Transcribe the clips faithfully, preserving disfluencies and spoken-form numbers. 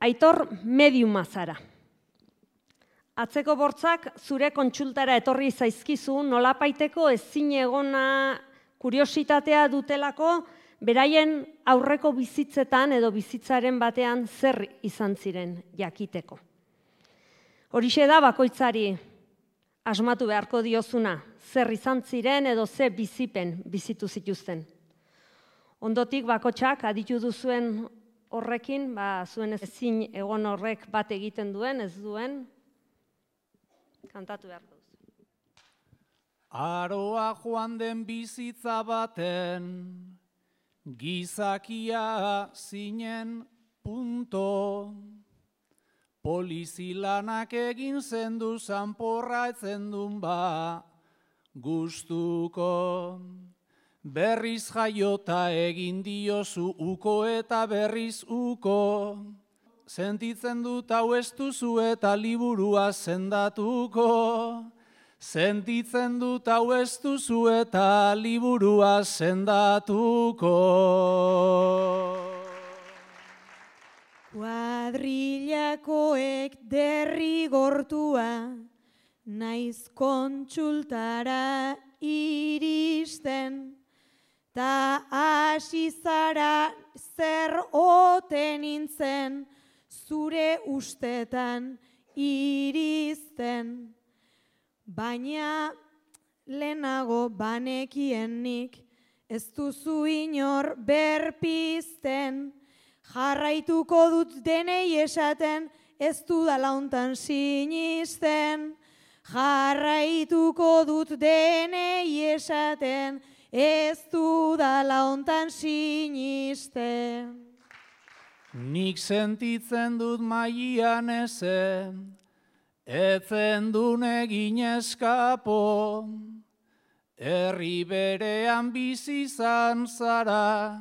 Aitor mediuma zara. Atzeko bortzak zure kontsultara etorri zaizkizu nolapaiteko ezin egona kuriositatea dutelako beraien aurreko bizitzetan edo bizitzaren batean zer izan ziren jakiteko. Horixe da bakoitzari asmatu beharko diozuna, zer izan ziren edo ze bizipen bizitu zituzten. Ondotik bakotxak aditu duzuen horrekin, ba, zuen ezin egon horrek bat egiten duen, ez duen, kantatu behar duzu. Aroa joan den bizitza baten, gizakia zinen punto. Polizilanak egin zendu zanporra etzen duen ba gustuko. Berriz jaiota egin diozu uko eta berriz uko. Sentitzen dut hau ez duzu eta liburua sendatuko. Sentitzen dut hau ez duzu eta liburua sendatuko. Kuadrillakoek derrigortua, naiz kontsultara iristen, ta hasi zara zer ote nintzen, zure ustetan irizten. Baina lehenago banekien nik, ez duzu inor berpizten, jarraituko dut denei esaten, ez dudala hontan sinisten. Jarraituko dut denei esaten, ez dudala hontan sinisten. Nik sentitzen dut maian ezen, etzen dun egin eskapo. Herri berean bizi izan zara,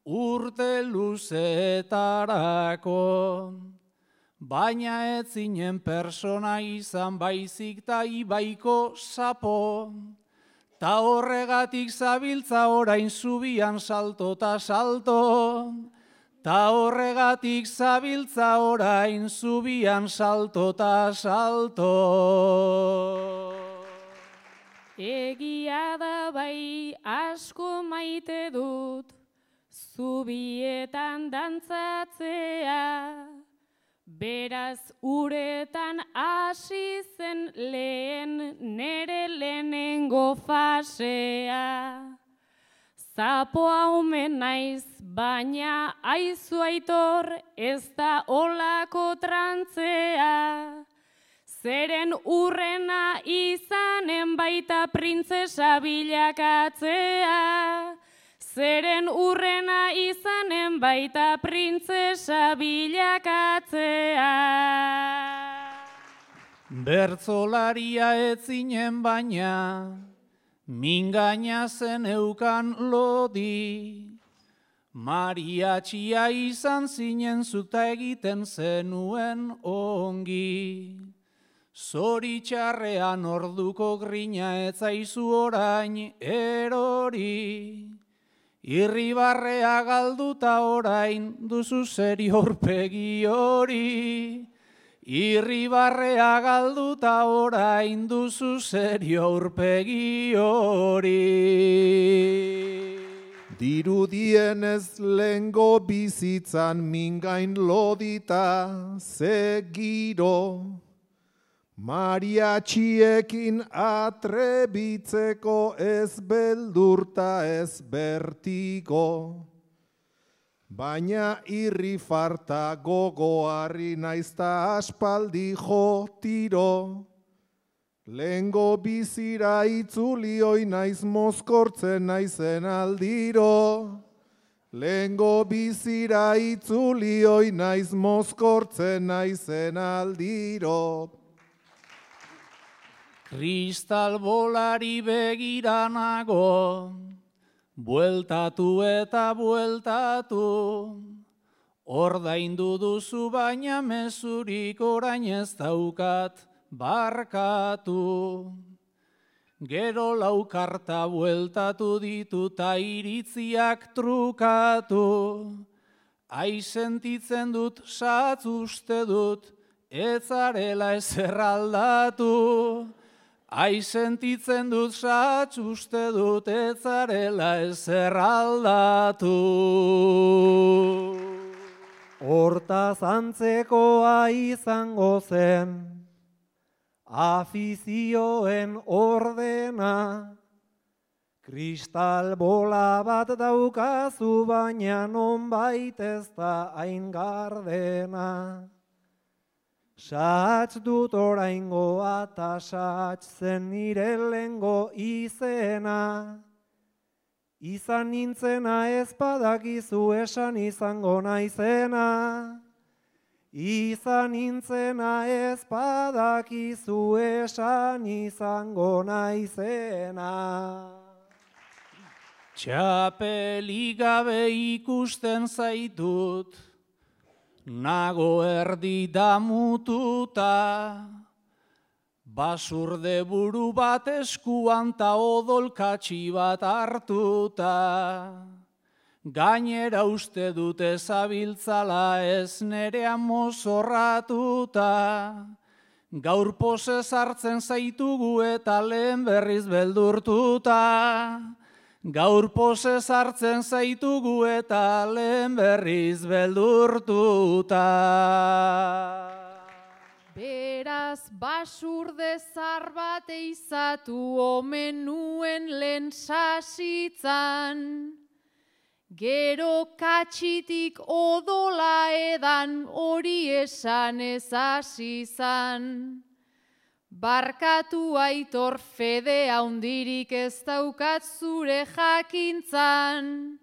urte luzetarako. Baina ez zinen persona izan baizik ta ibaiko sapo. Ta horregatik zabiltza orain zubian salto ta salto. Ta horregatik zabiltza orain zubian salto ta salto. Egia da bai asko maite dut, zubietan dantzatzea. Beraz uretan hasi zen lehen nere lehenengo fasea. Zapoa omen naiz, baina aizu Aitor ez da olako trantzea. Zeren urrena izanen baita printzesa bilakatzea. Zeren urrena izanen baita printzesa bilakatzea. Bertzolaria ez zinen baina, mingaina zen eukan lodi. Mariatxia izan zinen zuta egiten zenuen ongi. Zoritxarrean orduko grina ez zaizu orain erori. Irribarrea galduta orain duzu zeri aurpegi hori. Irribarrea galduta orain duzu zeri aurpegi hori. Dirudienez lehengo bizitzan mingain lodita ze giro. Mariatxiekin atrebitzeko ez beldurta ez bertigo. Baina irri farta gogoarri naizta aspaldi jo tiro. Lehengo bizira itzulioi naiz mozkortzen naizen aldiro. Lehengo bizira itzulioi naiz mozkortzen naizen aldiro. Kristal bolari begiranago, bueltatu eta bueltatu. Ordaindu duzu baina mezurik orain ez daukat barkatu. Gero laukarta bueltatu ditu ta iritziak trukatu. Ai sentitzen dut, satz uste dut, ez zarela ezer aldatu. Ai sentitzen dut, satz uste dut, ez zarela ezer aldatu. Hortaz antzekoa izango zen, afizioen ordena, kristal bola bat daukazu baina nonbait ez da hain gardena. Satz dut oraingoa ta satz zen nire lehengo izena. Izan nintzena ez badakizu esan izango naizena. Izan nintzena ez badakizu esan izango naizena. Txapelik gabe ikusten zaitut, nago erdi damututa, basurde buru bat eskuan ta odolkatxi bat hartuta. Gainera uste dut ezabiltzala ez nerean mozorratuta. Gaur pose sartzen zaitugu eta lehen berriz beldurtuta. Gaur pose sartzen zaitugu eta lehen berriz beldurtuta. Beraz basurde zar bat eizatu omen nuen lehen sasitzan. Gero katxitik odola edan hori esan ez hasi zan. Barkatu aitor fede haundirik ez daukat zure jakintzan.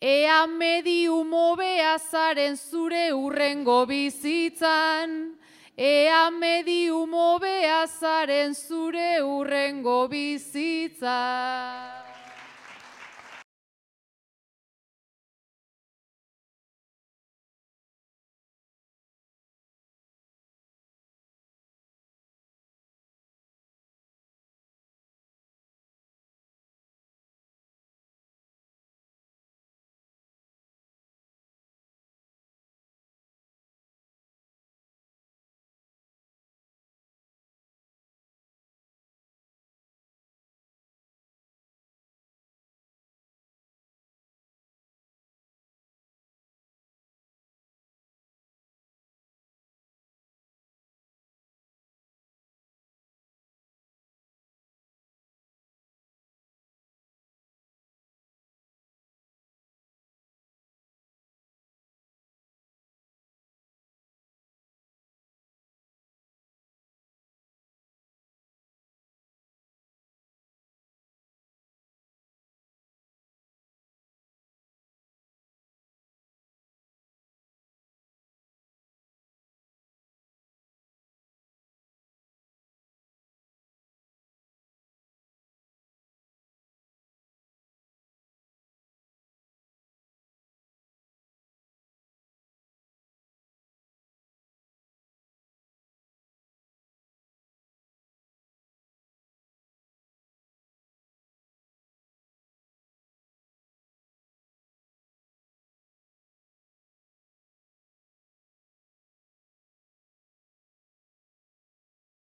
Ea medium hobea zaren zure urrengo bizitzan. Ea medium hobea zaren zure urrengo bizitzan.